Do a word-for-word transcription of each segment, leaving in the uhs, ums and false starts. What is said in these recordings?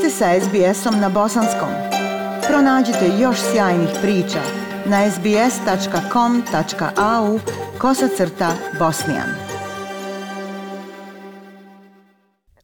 ste sa es be esom na bosanskom. Pronađite još sjajnih priča na es be es tačka com tačka a u kosacrta bosnijan.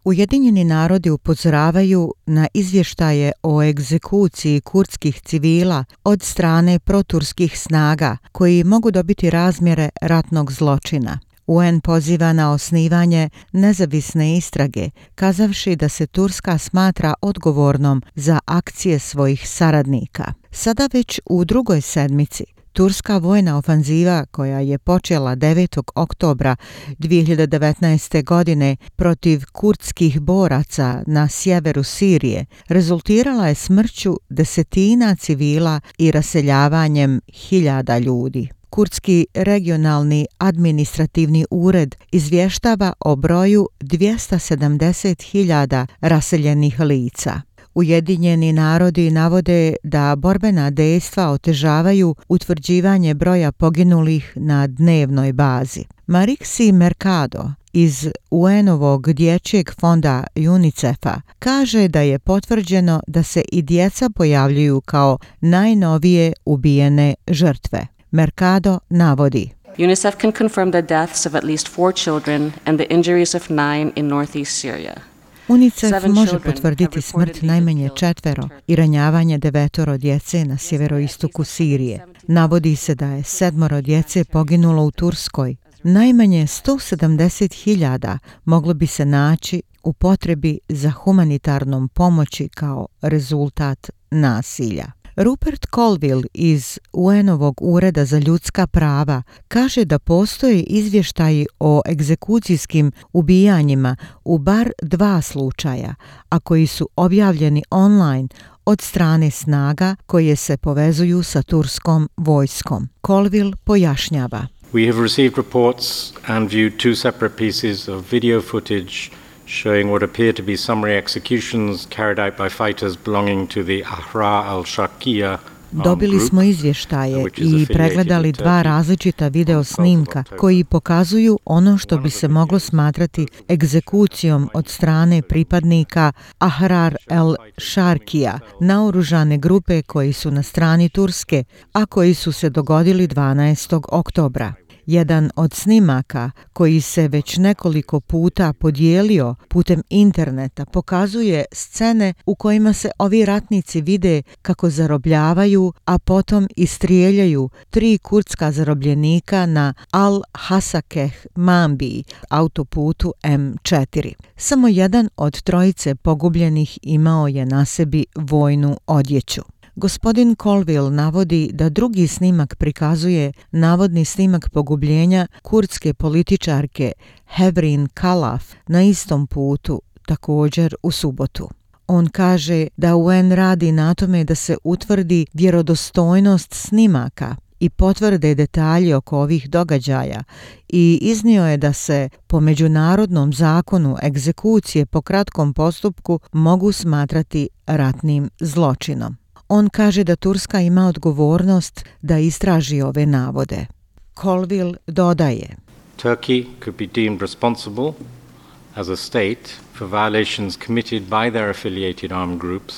Ujedinjeni narodi upozoravaju na izvještaje o egzekuciji kurdskih civila od strane proturskih snaga koji mogu dobiti razmjere ratnog zločina. U en poziva na osnivanje nezavisne istrage, kazavši da se Turska smatra odgovornom za akcije svojih saradnika. Sada već u drugoj sedmici turska vojna ofanziva koja je počela devetog oktobra dvije hiljade devetnaeste. godine protiv kurdskih boraca na sjeveru Sirije rezultirala je smrću desetina civila i raseljavanjem hiljada ljudi. Kurdski regionalni administrativni ured izvještava o broju dvjesto sedamdeset hiljada raseljenih lica. Ujedinjeni narodi navode da borbena dejstva otežavaju utvrđivanje broja poginulih na dnevnoj bazi. Marixi Mercado iz u en-ovog dječjeg fonda UNICEF-a kaže da je potvrđeno da se i djeca pojavljuju kao najnovije ubijene žrtve. Mercado navodi: UNICEF can confirm the deaths of at least four children and the injuries of nine in northeast Syria. UNICEF može potvrditi smrt najmanje četvero i ranjavanje devetoro djece na sjeveroistoku Sirije. Navodi se da je sedmoro djece poginulo u Turskoj. Najmanje sto sedamdeset hiljada moglo bi se naći u potrebi za humanitarnom pomoći kao rezultat nasilja. Rupert Colville iz u en-ovog Ureda za ljudska prava kaže da postoje izvještaji o egzekucijskim ubijanjima u bar dva slučaja, a koji su objavljeni online od strane snaga koje se povezuju sa turskom vojskom. Colville pojašnjava: We have received reports and viewed two separate pieces of video footage showing what appear to be summary executions carried out by fighters belonging to the Ahrar al-Sharqiya. Dobili smo izvještaje i pregledali dva različita video snimka koji pokazuju ono što bi se moglo smatrati egzekucijom od strane pripadnika Ahrar al-Sharqiya, naoružane grupe koji su na strani Turske, a koji su se dogodili dvanaestog oktobra. Jedan od snimaka koji se već nekoliko puta podijelio putem interneta pokazuje scene u kojima se ovi ratnici vide kako zarobljavaju, a potom i strijeljaju tri kurdska zarobljenika na Al-Hasakeh Manbij, autoputu em četiri. Samo jedan od trojice pogubljenih imao je na sebi vojnu odjeću. Gospodin Colville navodi da drugi snimak prikazuje navodni snimak pogubljenja kurdske političarke Hevrin Kalaf na istom putu, također u subotu. On kaže da u en radi na tome da se utvrdi vjerodostojnost snimaka i potvrde detalji oko ovih događaja i iznio je da se po međunarodnom zakonu egzekucije po kratkom postupku mogu smatrati ratnim zločinom. On kaže da Turska ima odgovornost da istraži ove navode. Colville dodaje: Turkey could be deemed responsible as a state for violations committed by their affiliated armed groups.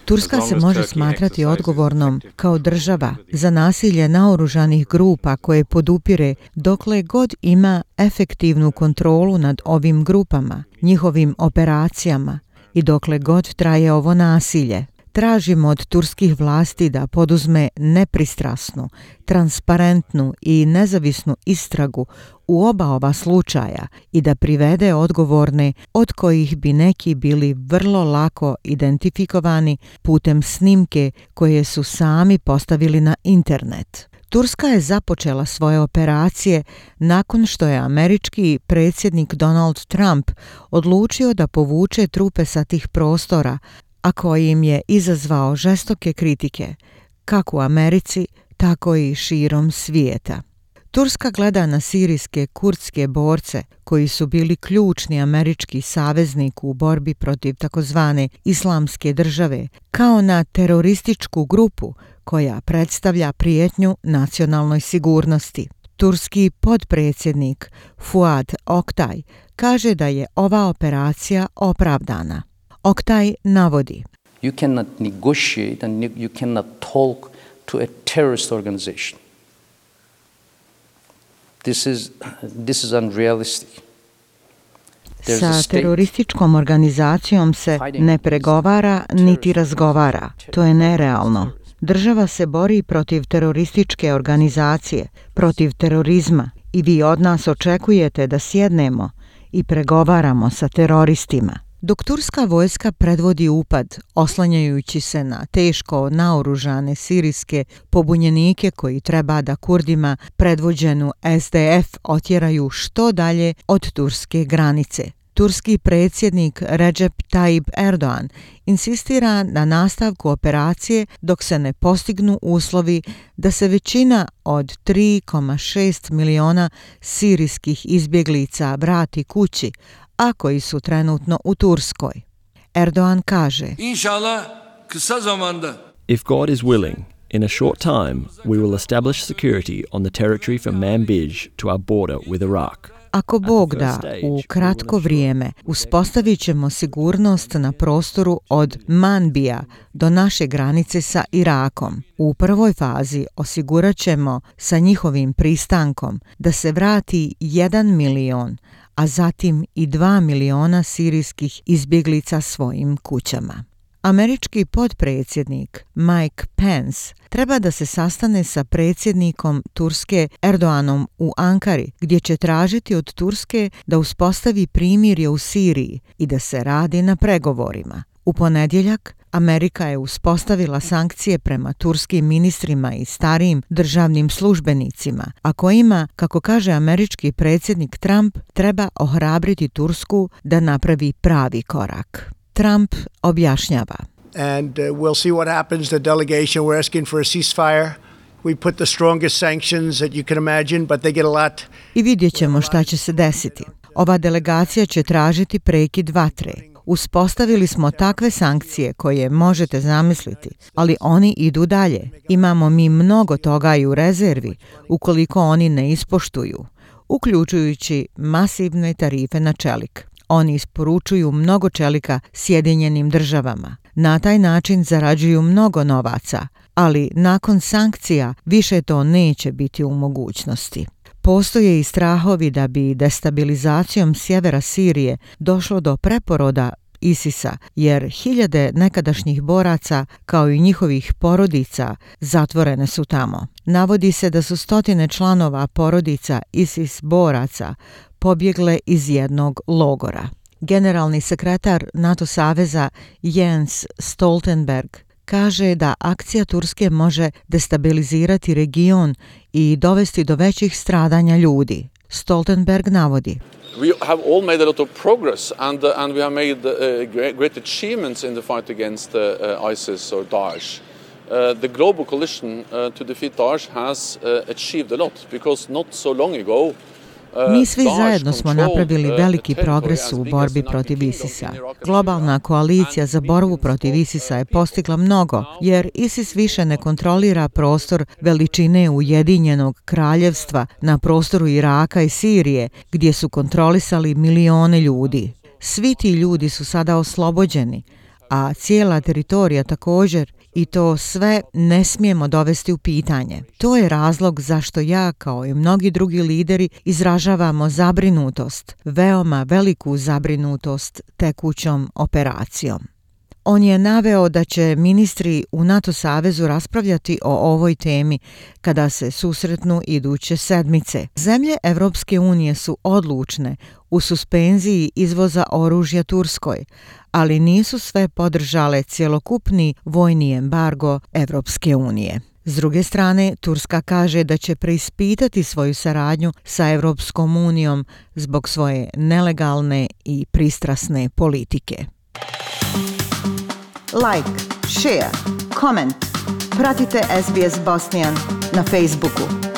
Turska se može smatrati odgovornom kao država za nasilje naoružanih grupa koje podupire dokle god ima efektivnu kontrolu nad ovim grupama, njihovim operacijama i dokle god traje ovo nasilje. Tražimo od turskih vlasti da poduzme nepristrasnu, transparentnu i nezavisnu istragu u oba ova slučaja i da privede odgovorne od kojih bi neki bili vrlo lako identifikovani putem snimke koje su sami postavili na internet. Turska je započela svoje operacije nakon što je američki predsjednik Donald Trump odlučio da povuče trupe sa tih prostora, a kojim je izazvao žestoke kritike, kako u Americi, tako i širom svijeta. Turska gleda na sirijske kurdske borce, koji su bili ključni američki saveznik u borbi protiv takozvane islamske države, kao na terorističku grupu koja predstavlja prijetnju nacionalnoj sigurnosti. Turski podpredsjednik Fuad Oktay kaže da je ova operacija opravdana. Oktay navodi. You cannot negotiate and you cannot talk to a terrorist organization. This is, this is unrealistic. Sa terorističkom organizacijom se ne pregovara niti razgovara. To je nerealno. Država se bori protiv terorističke organizacije, protiv terorizma i vi od nas očekujete da sjednemo i pregovaramo sa teroristima. Dok turska vojska predvodi upad, oslanjajući se na teško naoružane sirijske pobunjenike koji treba da Kurdima predvođenu S D F otjeraju što dalje od turske granice. Turski predsjednik Recep Tayyip Erdogan insistira na nastavku operacije dok se ne postignu uslovi da se većina od tri zarez šest miliona sirijskih izbjeglica vrati kući, a koji su trenutno u Turskoj. Erdogan kaže: İnşallah kısa zamanda. If God is willing, in a short time we will establish security on the territory from Manbij to our border with Iraq. Ako Bog da, u kratko vrijeme uspostavit ćemo sigurnost na prostoru od Manbija do naše granice sa Irakom. U prvoj fazi osigurat ćemo sa njihovim pristankom da se vrati jedan milion, a zatim i dva miliona sirijskih izbjeglica svojim kućama. Američki potpredsjednik Mike Pence treba da se sastane sa predsjednikom Turske Erdoganom u Ankari, gdje će tražiti od Turske da uspostavi primirje u Siriji i da se radi na pregovorima. U ponedjeljak Amerika je uspostavila sankcije prema turskim ministrima i starijim državnim službenicima, a kojima, kako kaže američki predsjednik Trump, treba ohrabriti Tursku da napravi pravi korak. Trump objašnjava. And uh, we'll see what happens. The delegation, we're asking for a ceasefire. We put the strongest sanctions that you can imagine, but they get a lot. I vidjet ćemo šta će se desiti. Ova delegacija će tražiti prekid vatre. Uspostavili smo takve sankcije koje možete zamisliti, ali oni idu dalje. Imamo mi mnogo toga i u rezervi ukoliko oni ne ispoštuju, uključujući masivne tarife na čelik. Oni isporučuju mnogo čelika Sjedinjenim državama. Na taj način zarađuju mnogo novaca, ali nakon sankcija više to neće biti u mogućnosti. Postoje i strahovi da bi destabilizacijom sjevera Sirije došlo do preporoda ISIS-a, jer hiljade nekadašnjih boraca kao i njihovih porodica zatvorene su tamo. Navodi se da su stotine članova porodica ISIS boraca pobjegle iz jednog logora. Generalni sekretar NATO saveza Jens Stoltenberg kaže da akcija Turske može destabilizirati region i dovesti do većih stradanja ljudi. Stoltenberg navodi: We have all made a lot of progress and uh, and we have made uh, great, great achievements in the fight against uh, uh, ISIS or Daesh. Uh, the global coalition uh, to defeat Daesh has uh, achieved a lot because not so long ago Mi svi zajedno smo napravili veliki progres u borbi protiv ISIS-a. Globalna koalicija za borbu protiv ISIS-a je postigla mnogo, jer ISIS više ne kontrolira prostor veličine Ujedinjenog kraljevstva na prostoru Iraka i Sirije, gdje su kontrolisali milione ljudi. Svi ti ljudi su sada oslobođeni, a cijela teritorija također, i to sve ne smijemo dovesti u pitanje. To je razlog zašto ja, kao i mnogi drugi lideri, izražavamo zabrinutost, veoma veliku zabrinutost tekućom operacijom. On je naveo da će ministri u NATO savezu raspravljati o ovoj temi kada se susretnu iduće sedmice. Zemlje Evropske unije su odlučne u suspenziji izvoza oružja Turskoj, ali nisu sve podržale cjelokupni vojni embargo Evropske unije. S druge strane, Turska kaže da će preispitati svoju saradnju sa Evropskom unijom zbog svoje nelegalne i pristrasne politike. Like, share, comment. Pratite S B S Bosnian na Facebooku.